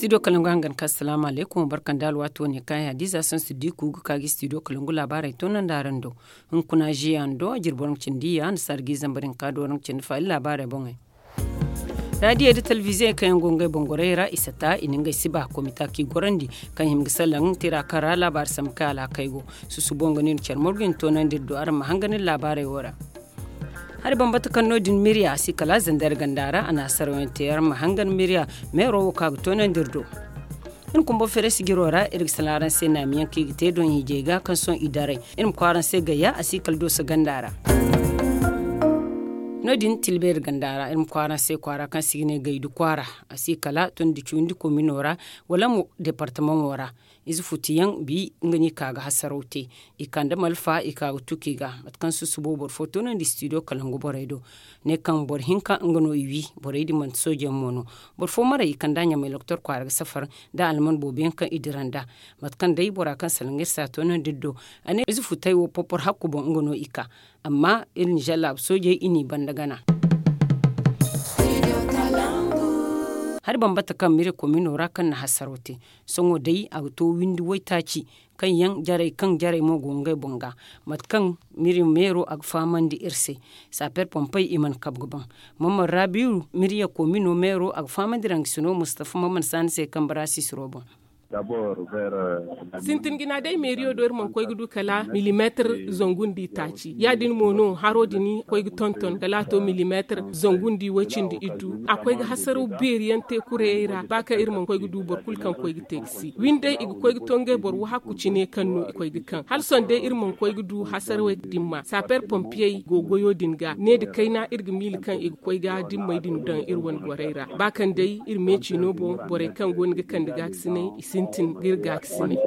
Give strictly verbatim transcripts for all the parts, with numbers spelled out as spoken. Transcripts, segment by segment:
Studio kalangu hangan ka asalaamu alaykum barka nda alwaati wane kaŋ ay hadiza sansu diku ga ka ga studio kalangu laabaarey toonandi araŋ do. Hunkuna ziya nda jirbi waraŋ cindi ya nda sargi zambar hinka do waraŋ cindi fa iri laabaarey boŋey. Raadiyey nda talbiiziyey kaŋ yaŋ go ngey boŋ gorey ra i sata i na ngey siba komita kaŋ i gorandi, kaŋ hima ga salaŋ tira kaŋ ra laabaari sambu kaŋ alhakey go. Susubo nga no iri care morgu i na toonandi iri do araŋ ma hangan iri laabaarey wo ra. Hari bambata kaŋ no- din miriya a si kala zandar ganda ra a na hasaraw yaŋ te araŋ ma hangan miriya meero wo kaŋ a ga toonandi iri do. Iri kumbo feere sijiro ra iri ga salaŋ araŋ se naamiyaŋ kaŋ i ga te doŋ hiijay ga kaŋ sohõ i daray. Iri ma koy araŋ se gayya a si kala dooso ganda ra. No- din tilbeeri ganda ra iri ma koy araŋ se kwaara kaŋ se i ga ne gaydu kwaara, a si kala tondi cawandi komino ra wala mo deepartamaŋo ra. Ize futuyaŋ bi nga no i ka ga hasaraw te. I kande malfa i ka ga tuki ga mate kaŋ susubo boro fo toonandi studio kalangu borey do. Ne kaŋ boro hinka nga no i wi. Borey din manti sooje yaŋ mo no. Boro fo maray i kand'a ɲamay loktor kwaara ga safar nda alman boobo yaŋ kaŋ i dira nd'a. Mate kaŋ day bora kaŋ salaŋ iri se a toonandi iri do. A ne ize futay wo porpor hakku boŋ nga no i ka. Amma iri nizer laabu soojey i n'i banda gana. Hari bambata kaŋ mire komino ra kaŋ na hasaraw te. Sohõ day a ga to windi waytaaci kaŋ yaŋ jarey kaŋ jarey mo go ngey boŋ ga. Mate kaŋ miri meero a ga fahamandi iri se. Saaper pompey i mana kabe ga baŋ. Mamman raabiiru miriya komino meero a ga fahamandi raŋ ga sino mustafa mamman saani se kaŋ bara sisiro boŋ. Sintin jina day meeriyo do iri mana koy ga du kala milimeetir zangu nda itaaci ya- din mo no haro din koy ga tonton kala a to milimeetir zangu nda iway cindi iddu a koy ga hasaraw beeri yaŋ te kurayey ra ba kaŋ iri mana koy ga du boro kulu kaŋ koy ga te ga si windey i ga koy ga to ngey boro wahakku cine kaŋ no i koy ga kaŋ hala sohõ day iri mana koy ga du hasarawey din ma saaper pompiyey go goyo din ga ne nda kayna iri ga miila kaŋ i ga koy ga dimmey din daŋ iri wane borey ra ba kaŋ day iri meeci no boŋ borey kaŋ go no ga kande gaakasinay i sintin ga iri gaakasinay.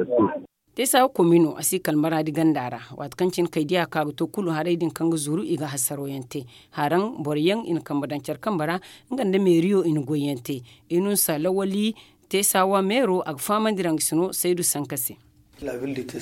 Teesawa komino a si kala maraadi ganda ra waati kaŋ cine kay diya ka ga to kulu haray din kaŋ ga zuru i ga hasaraw yaŋ te haraŋ boro yaŋ i na kambe daŋ care kambe ra. Nga nda meeriyo i na goy yaŋ te i na nsa lawali teesawa meero a ga fahamandi raŋ ga sino saydu sanka se.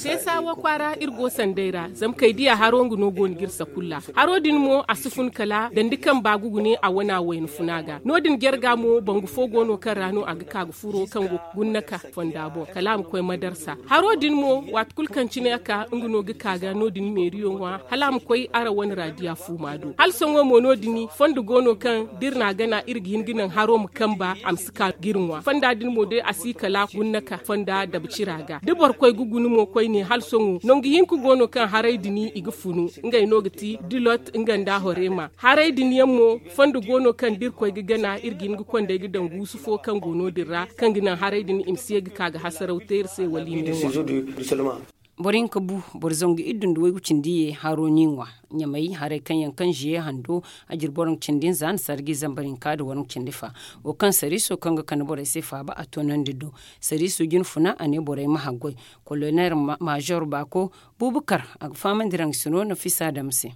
Teesawa kwaara iri go sanday ra zama kay diya haro nga no go no ga iri sakulla haro din mo a si fun kala dandi kaŋ ba ga gune a wana wayna funa ga no- din jarga mo bangu fo go no kaŋ ra no a ga ka ga furo kaŋ go ga gunna ka fonda boŋ kala a ma koy madarsa haro din mo waati kulu kaŋ cine a ka nga no ga ka ga no- din meeriyo ŋwa hala a ma koy araŋ wane raadiya fuuma do hala sohõ mo no- din fondo go no kaŋ da iri n'a gana iri ga hin ga naŋ haro ma kamba a ma si ka ga iri ŋwa fonda din mo day a si kala gunna ka fonda dabcira ga da boro koy ga guna mo koyne hala sohõ nangu hinka go no kaŋ haray din i ga funu ngey no ga ti dilot nga nda horema haray din yaŋ mo fondo go no kaŋ da iri koy ga gana iri ga hin ga kondey ga daŋ guusu fo kaŋ go no- din ra kaŋ ga naŋ haray din i ma si ye ga ka ga hasaraw te iri se wala i ma ŋwa. Boro hinka bu boro zangu iddu nda waygu cindi ye haro n'i ŋwa ɲamay haray kaŋ yaŋ kaŋ ziye hando a jiri boro nga cindi nza nda sargi zambar hinka nda waraŋ cindi fa wo kaŋ sariiso kaŋ ga kande borey se faaba a toonandi do. Sariiso jine funa a ne borey ma haggoy kolonel maazor baako buubakar a ga fahamandi raŋ sino nafisa dam se.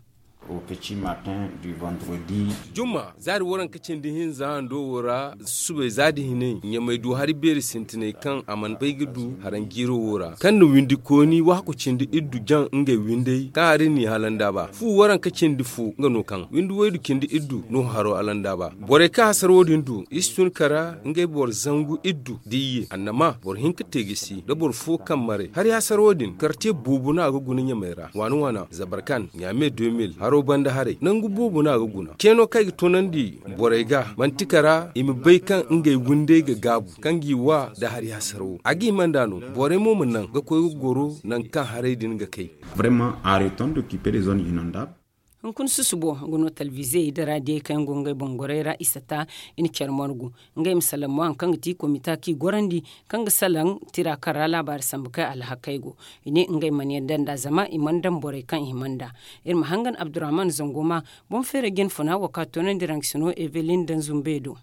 Jumma zaari waranka cindi hinza hando wo ra subay za da hinay ɲamay du hari beeri sintinay kaŋ a mana bay ga du haranjiiro wo ra kaŋ na windi kooni wahakku cindi iddu jaŋ ngey windey kaŋ hari n'i halanda ba fu waranka cindi fo nga no kaŋ windi waydu cindi iddu no haro halanda ba borey kaŋ hasar wo-din du i si tun kara ngey boro zangu iddu da iyye annama boro hinka te ga si da boro fo kaŋ maray hari hasar wo-din karte boobo no a ga guna ɲamay ra waana waana zabarkan ɲaame deux mille haro banda haray nangu boobo no a ga guna ceeno kaŋ ay ga toonandi borey ga manti kara i ma bay kaŋ ngey windey ga gaabu kaŋ g'i wa nda hari hasar wo a ga hima nd'a no borey mo ma naŋ ga koy ga goro nangu kaŋ haray din ga kay. Vraiment arrêtons d'occuper les zones inondables. Hunkuna susubo nga no talbiizey nda raadiyey kaŋ yaŋ go ngey boŋ gorey ra i sata i na care margu ngey ma salaŋ mo hari kaŋ ga ti komita kaŋ i gorandi kaŋ ga salaŋ tira kaŋ ra laabaari sambu kaŋ alhakey go i ne ngey mana yadda nd'a zama i mana daŋ borey kaŋ i hima nd'a. Iri ma hangan abdurrahman zango ma boŋ feeray jine funa wo kaŋ a toonandi raŋ ga sino evelin daŋ zumbe do.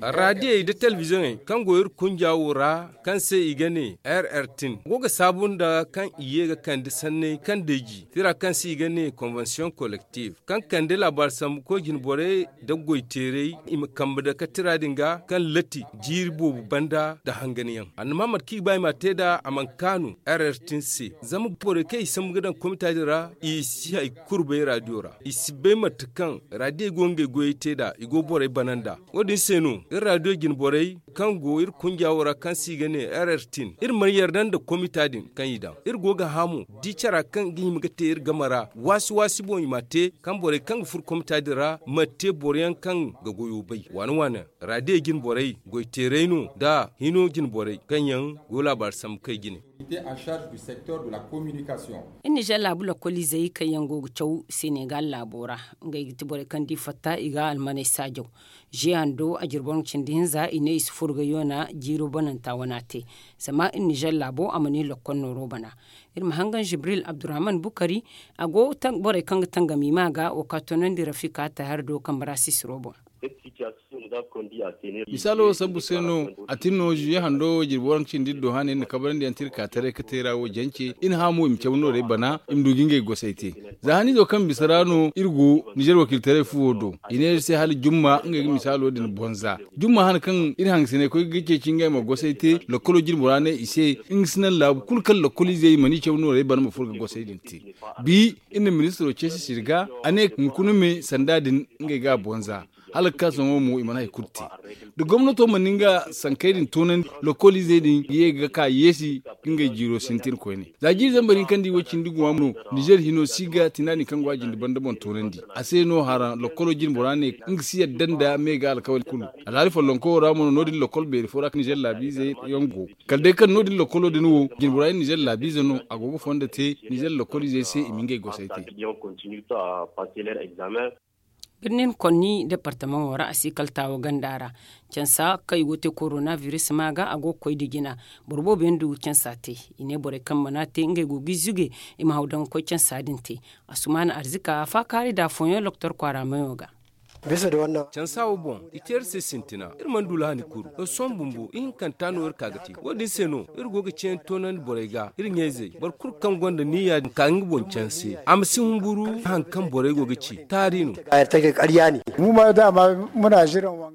Raadiyey nda talbizoŋey kaŋ go iri kunja wo ra kaŋ se i ga ne rrt go ga saabu nda kaŋ i ye ga kande sanney kaŋ day ji tira kaŋ se i ga ne konvensiyoŋ kolektif kaŋ kande laabaari sambu koy jine borey nda goy teerey i ma kambe dake tira din ga kaŋ latti jiiri boobo banda nda hanganyaŋ annama mate kaŋ i ga ba i m'a te nd'a a mana kaanu rrt se zama borey kaŋ i sambu ga daŋ komita din ra i si hay kulu bay raadiyo ra i si bay mate kaŋ raadiyey go ngey goyey te nd'a. go borey bana nd'a. Wo- din se no iri raadiyo jine borey kaŋ go iri kunja wo ra kaŋ se i ga ne rrt, iri mana yarda nda komita din kaŋ i daŋ. Iri go ga hã mo di cara kaŋ ga hima ga te iri game ra waasi waasi boŋ i m'a te, kaŋ borey kaŋ ga furo komita din ra ma te boro yaŋ kaŋ ga goyo bay waane waane. Raadiyo jine borey goy teeray no nda hino jine borey kaŋ yaŋ go laabaari sambu kay jine. Iri nizer laabu lakkoliizey kaŋ yaŋ go ga caw senegal laabo ra, ngey ga ti borey kaŋ da i fatta i ga almaney saajaw. Ze hando a jirbi waranka cindi hinza i ne i si furo ga yoona jiiro bananta wana te. Zama iri nizer laabo a mana i lakkol nooro bana. Iri ma hangan jibril abdurrahman bukari, a go borey kaŋ ga tangam i ma ga wo ka toonandi rafika tahar do kambe ra sisiro boŋ. Misaalo wo sabbu se no a tin no ziye hando wo jirbi waranka cindi iri do hane iri na kabarandi yaŋ te iri ka taray ga te ra wo jance iri na hã mo i ma caw noorey bana i ma du ga ngey gosay te. Za haniizo kaŋ bisa ra no iri go nizer wakiiltaray fuwo do, i ne iri se hala jumma ngey ga misaalo din bonza jumma hane kaŋ iri hangasiney koy ga ceeci ngey ma gosay te. Lakkolo jirbi ra ne i se nga si naŋ laabu kulu kaŋ lakkoliizey i mana i caw noorey bana ma furo ga gosay din te. Bi iri na ministiro ceesi sirga a ne hunkuna me sanda din ngey ga a bonza. Hala ga ka sohõ mo i mana hari kulu te. Da gomnato mana nga sankey din toonandi lokoliizey din ga ye ga ka yeesi ga ngey jiiro sintin koyne. Za jiiri zambar hinka nda i way cindi guwa mo nizer hino si ga tinaadin kaŋ go a jinde banda boŋ toonandi a se no haraŋ lokolo jine bora ne nga si yadda nda me ga alkawali kulu. Alhaali follonko wo ra mo no no- din lokol beeri fo ra nizer laabiize yaŋ go. Kala day kaŋ no- din lokolo din wo jine bora nizer laabiize no a go ga fondo te nizer lokoliizey se i ma ngey gosay te. Birnin konni departamaŋo ra a si kala taawo ganda ra. Cansa kaŋ i go ga te korona biris ma ga a go ga koy nda jina. Boro boobo yaŋ du ga cansa te. I ne borey kaŋ mana te ngey go ga i zuge i ma haw daŋ ga koy cansa din te. Asumaana arzika a faakaari nda afooyaŋ loktor kwaara mayo ga. Cansa wo boŋ i te iri se sintina iri mana du lahani kuru. Sohõ bumbo ihinkanta no iri ka ga te wo- din se no iri go ga ceeyaŋ toonandi borey ga iri ɲayzey boro kulu kaŋ gonda niyya din ka nga boŋ canse a ma si humburu. Hari kaŋ borey go ga ci taari no.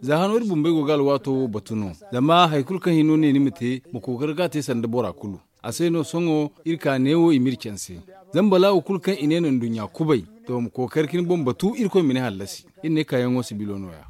Za hano iri bumbey go ga alwaato wo batu no. Zama hari kulu kaŋ hino ne ni ma te ma kookari ga a te sanda bora kulu. A se no sohõ iri ka neewo i m'iri canse. Zama balaawo kulu kaŋ i ne no nduɲɲa kubay to ma kookari ka ni boŋ batu irkoy ma ni hallasi. Iri ne kaayaŋo sibilo no- ya.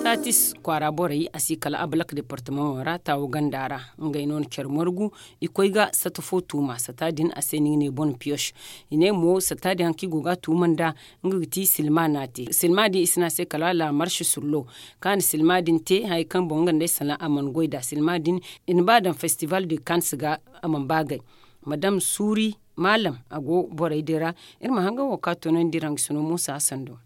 Taatis kwaara borey a si kala abalak departamaŋo ra taawo ganda ra. Ngey no na care margu i koy ga sata fo tuuma sata din a se no i ga ne bon piyos. I ne mo sata din hari kaŋ i go ga a tuuma nda nga ga ti silma no a te silma din i si ne a se kala laamarsi sullo. Kaŋ a na silma din te hari kaŋ boŋ nga nda ay sanaŋ a mana goy nd'a silma din. I na ba daŋ festival de kans ga a mana ba gay. Madam suuri maalam a go borey din ra. Iri ma hangan wo kaŋ a toonandi iri hangasino muusa hasan do.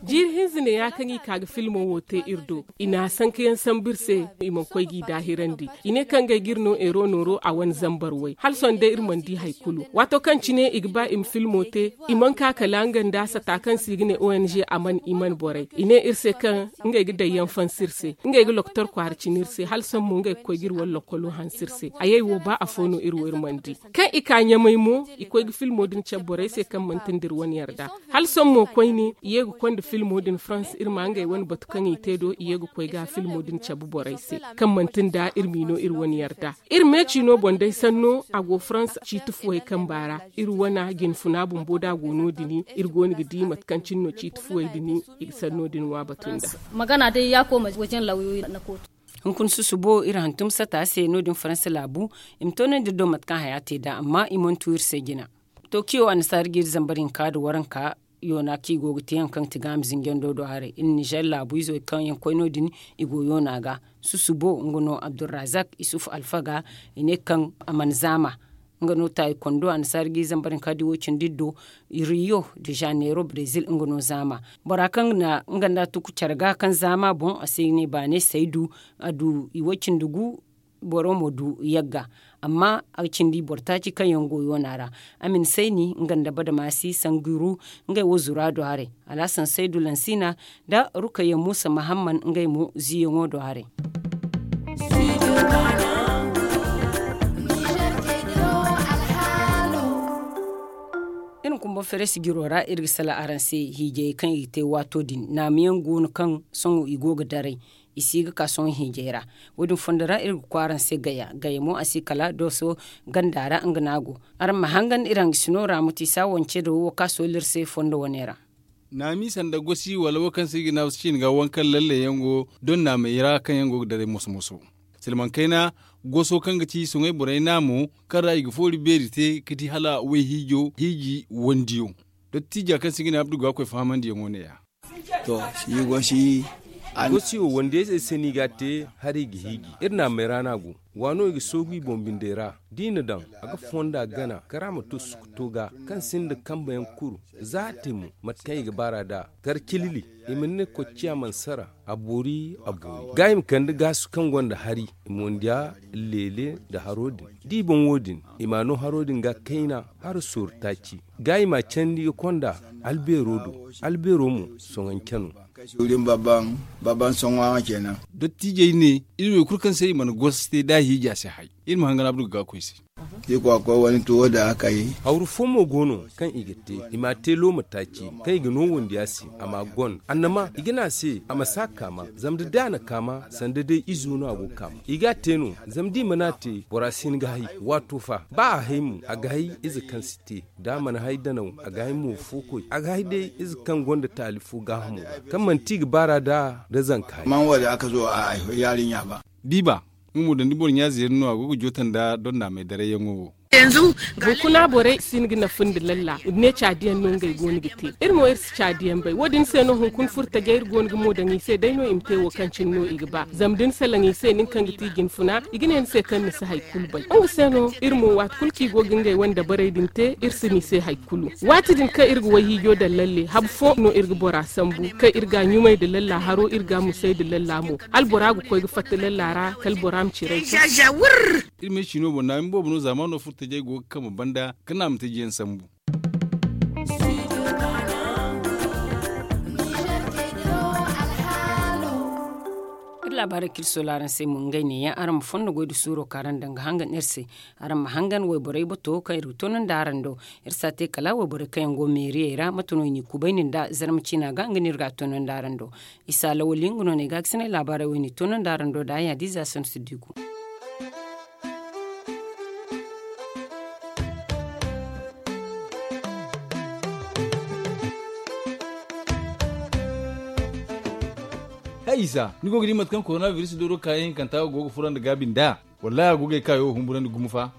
Jiiri hinza ne ya kaŋ i ka ga filmo wo te iri do. I na a sanka yaŋ sambu iri se. I mana koy g'i daahirandi. I ne kaŋ ngey ga iri no eero nooro a wane zambar way hala sohõ day iri mana di hari kulu. Waato kaŋ cine i ga ba i ma filmo te i mana ka kala nga nda sata kaŋ se i ga ne ong a mana i mana borey i ne iri se kaŋ ngey ga daŋ yaŋ fansi iri se. Ngey ga loktor kwaara cine iri se hala sohõ mo ngey ga koy ga iri wane lokolo hanse iri se. Ayey wo ba afo no iri wo iri mana di. Kaŋ i ka ɲamay mo i koy ga filmo din cabe borey se kaŋ manti nda iri wane yarda. Hala sohõ mo koyne i ye ga konda filmo din farans iri ma ngey wane batu kaŋ i te do i ye ga koy ga filmo din cabe borey se. Kaŋ manti nda iri m'i no iri wane yarda. Iri meeci no boŋ day sanno a go farans ciiti fuwey kamba ra. Iri wane jinfuna bumbo da a go no- din iri go no ga di mate kaŋ cine no ciiti fuwey din i ga sanno din ŋwa batu nda. Magana day ya kooma wajen lauyoyi na kootu. Hunkuna susubo iri hantum sata se no- din faransa laabu. I ma toonandi iri do mate kaŋ haya te nd'a amma i mana tu iri se jina. Tokiyo annasaari ga iri zambar hinka nda waranka yoona kaŋ i go ga te yaŋ kaŋ ga ti gaama zinjando do haray iri nizer laabu izey kaŋ yaŋ koy no- din. I go yoona ga susubo nga no abdulrazak isuf alfaga. I ne kaŋ a mana zaama. Nga no taayi kondo annasaari ga iri zambar hinka nda i wo- cindi iri do. Riyo de janeiro brezil nga no zaama. Bora kaŋ na nga nda a tuku care ga kaŋ zaama boŋ a se i ne baane saydu. A du i wo- cindi gu. Boro mo du yagga. Amma a ga cindi boro taaci kaŋ yaŋ go yoona ra. A ma ni sayni nga nda badamaasi sangiru. Ngey wo zura do haray. Alhasan saydu lansina nda rukayya muusa mahamman ngey mo ziiyaŋo do haray. Iri ma kumba feres jiro ra iri ga salaŋ araŋ se hiijayey kaŋ i ga te waato din naamuyaŋ go no kaŋ sohõ i go ga daray. I si ga ka sohõ hiijay ra. Wo- din fondo ra iri ga kwaara ni se gaya gaya mo a si kala dooso ganda ra nga no a go. Araŋ ma hangan iri hangasino ra ma ti saawo nce do wo kaŋ a soolli iri se fondo wane ra. Naami sanda gosi wala wo kaŋ se i ga ne a wo si ciine ga waŋ kaŋ lalle yaŋ go doŋ naamey ra kaŋ yaŋ go ga daray moso moso. Silmaŋ kayna goso kaŋ ga ci soŋay borey naamo kaŋ ra i ga foori beeri te ga di hala wayhiijo hiiji wandiyo. Dottiija kaŋ se i ga ne abdu ga koy fahamandiyaŋo ne- ya. To, si gosi. Gosi wo wandiyey se ni ga a te, hari i ga hiiji iri naamey ra no a go. Waano i ga soogu i boŋ bindey ra. Da i na daŋ a ga fonda gana karaama to sukuto ga kaŋ sinda kambe yaŋ kuru. Za a te mo mate kaŋ i ga baar'a nd'a. Kar cilili i ma ne kocciya mana sara. A boori a boori ga i ma kande gaasu kaŋ gonda hari. I ma wandiya leele nda haro din da i boŋ wo- din. I m'a no haro din ga kayna haro sooru taaci. Ga i m'a candi ga konda albeero do. Albeero mo soŋanceno. Suuri ma babban babban soŋa kenan. Dottiijey ne iri wo kulu kaŋ se i mana gosi te da a hiija se hay. Iri ma hangan abdu ga ga koy se. Iri kwa koy wani tuwo da aka yi. Hawru fo mo go no kaŋ i ga te. I m'a te looma taaci kaŋ i ga no wandiya se. A m'a gon annama i ga ne a se a ma si a kaama. Zama da day a na kaama sanda day izo no a go ga kaama i ga a te no. Zama da i mana a te bora si hin ga hay. Waato fa ba a hay mo a ga hay ize kaŋ si te. Da a mana hay danaw a ga hay mo fo koy a ga hay day ize kaŋ gonda taali fo gaahamo ra kaŋ manti i ga baar'a nd'a. Da zanka hari. Biba nga mo dandi boro ɲa zeeri no a go ga joota nda donnaamey darayyaŋo wo. Hunkuna borey si hin ga nafa nda lalla i ma ne caadiyaŋ no ngey go no ga te. Iri mo iri si caadiyaŋ bay wo- din se no hunkuna furtajey iri go no ga mo daŋ i se day no i ma te wo kaŋ cine no i ga ba zama da ni salaŋ i se nin kaŋ ga ti jinfuna i ga ne ni se kaŋ ni si hari kulu bay. Nga se no iri mo waati kulu kaŋ i go ga ngey wane dabarey din te iri si no i se hari kulu. Waati din kaŋ iri ga wayhiijo daŋ lalle habu fo no iri ga bora sambu kaŋ iri ga a ɲumay nda lalla haro iri ga a musay nda lalla mo. Hala bora ga koy ga fatta lalla ra kala bora ma ciray. Iri ma ay ciino boŋ naami boobo no zaamaano furtajey go ga kambe banda ka naamatajiyaŋ sambu. Iri laabaarey kaŋ iri soola araŋ se mo ngey neeyaŋ araŋ ma fondo goy nda suuro kaŋ araŋ daŋ ga hangan iri se. Araŋ ma hangan wayborey bato kaŋ iri ga toonandi araŋ do. Iri si a te kala wayborey kaŋ yaŋ go meeriyey ra mate no i n'i kubayni nda zarma ciina ga nga no iri ga a toonandi araŋ do. Isa lawali nga no no ay ga a ga sinay laabaarey wo i n'i toonandi araŋ do da ay hadiza santu si diigu. Hay isa ni go ga di mate kaŋ korona biris dooro kaayaŋ hinkanta go ga furandi gaabi nd'a? Wallahi a go ga ay kaayo wo humburandi gumo fa.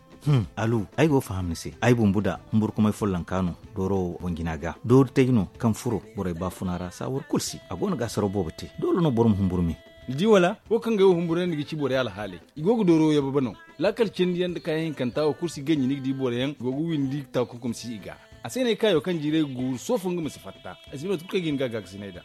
Alu, ay go ga faham ni se. Ay bumbu da humburkumay follonka no dooro wo boŋ jina ga doori tay no kaŋ furo borey baafuna ra saawar kulu si a go no ga asaraw boobo te. Doole no boro ma humburu me. Ni di wala wo kaŋ ga ay wo humburandi ga ci borey alhaaley. I go ga dooro wo yababa no. Laakal cindiyaŋ nda kaayaŋ hinkanta wo kulu si ganji ni ga di boroyaŋ go ga windi taakunkum si i ga. A se no ay kaayo kaŋ jiiray ga guuru soofo nga ma si fatta. Ay si bay mate kulu kaŋ ay ga hin ga a gaakasinay nd'a.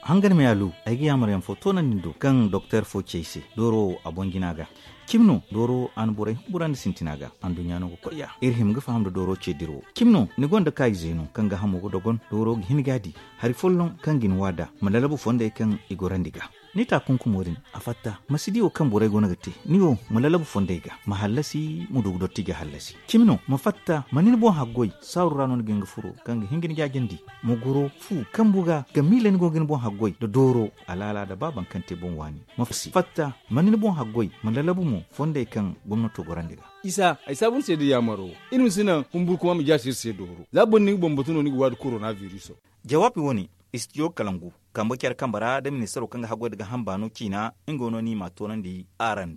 Hangan me alu, ay ga yaamar yaŋ fo toonandi ni do kaŋ doktor fo ci ay se dooro wo a boŋ jina ga. Cimi no dooro wo a na borey humburandi sintina ga. Anduɲɲa no ga koy ya iri hima ga faham nda dooro ce dira wo. Cimi no ni gonda kaayize no kaŋ gaahamo ga dogon dooro ga hin ga a di hari folloŋ kaŋ ga ni waada ma lalabu fondey kaŋ i gorandi ga. Ni taakunkumo din a fatta ma si di wo kaŋ borey go no ga te. Ni wo ma lalabu fondey ga ma hallasi ma du ga dotti ga hallasi. Cimi no ma fatta ma ni ni boŋ haggoy saaru ra no ni ga hin ga furo kaŋ ga hin ga ni jaajandi. Ma goro fu kambu ga ga miila ni go ga ni boŋ haggoy nda dooro alaala nda ba baŋ kaŋ te boŋ waani. Ma fatta ma ni ni boŋ haggoy ma lalabu mo fondey kaŋ gomnato gorandi ga. Isa ay saabu ni se da yaamaro iri ma si naŋ humburkuma ma jaasi iri se dooro za boro ni ga boŋ batu no ni ga waadi korona viriso. Jawaabi wo- ne istijo kalangu kambe care kambe ra nda ministaro kaŋ ga haggoy nda gaaham baano ciina. Nga no ni m'a toonandi araŋ.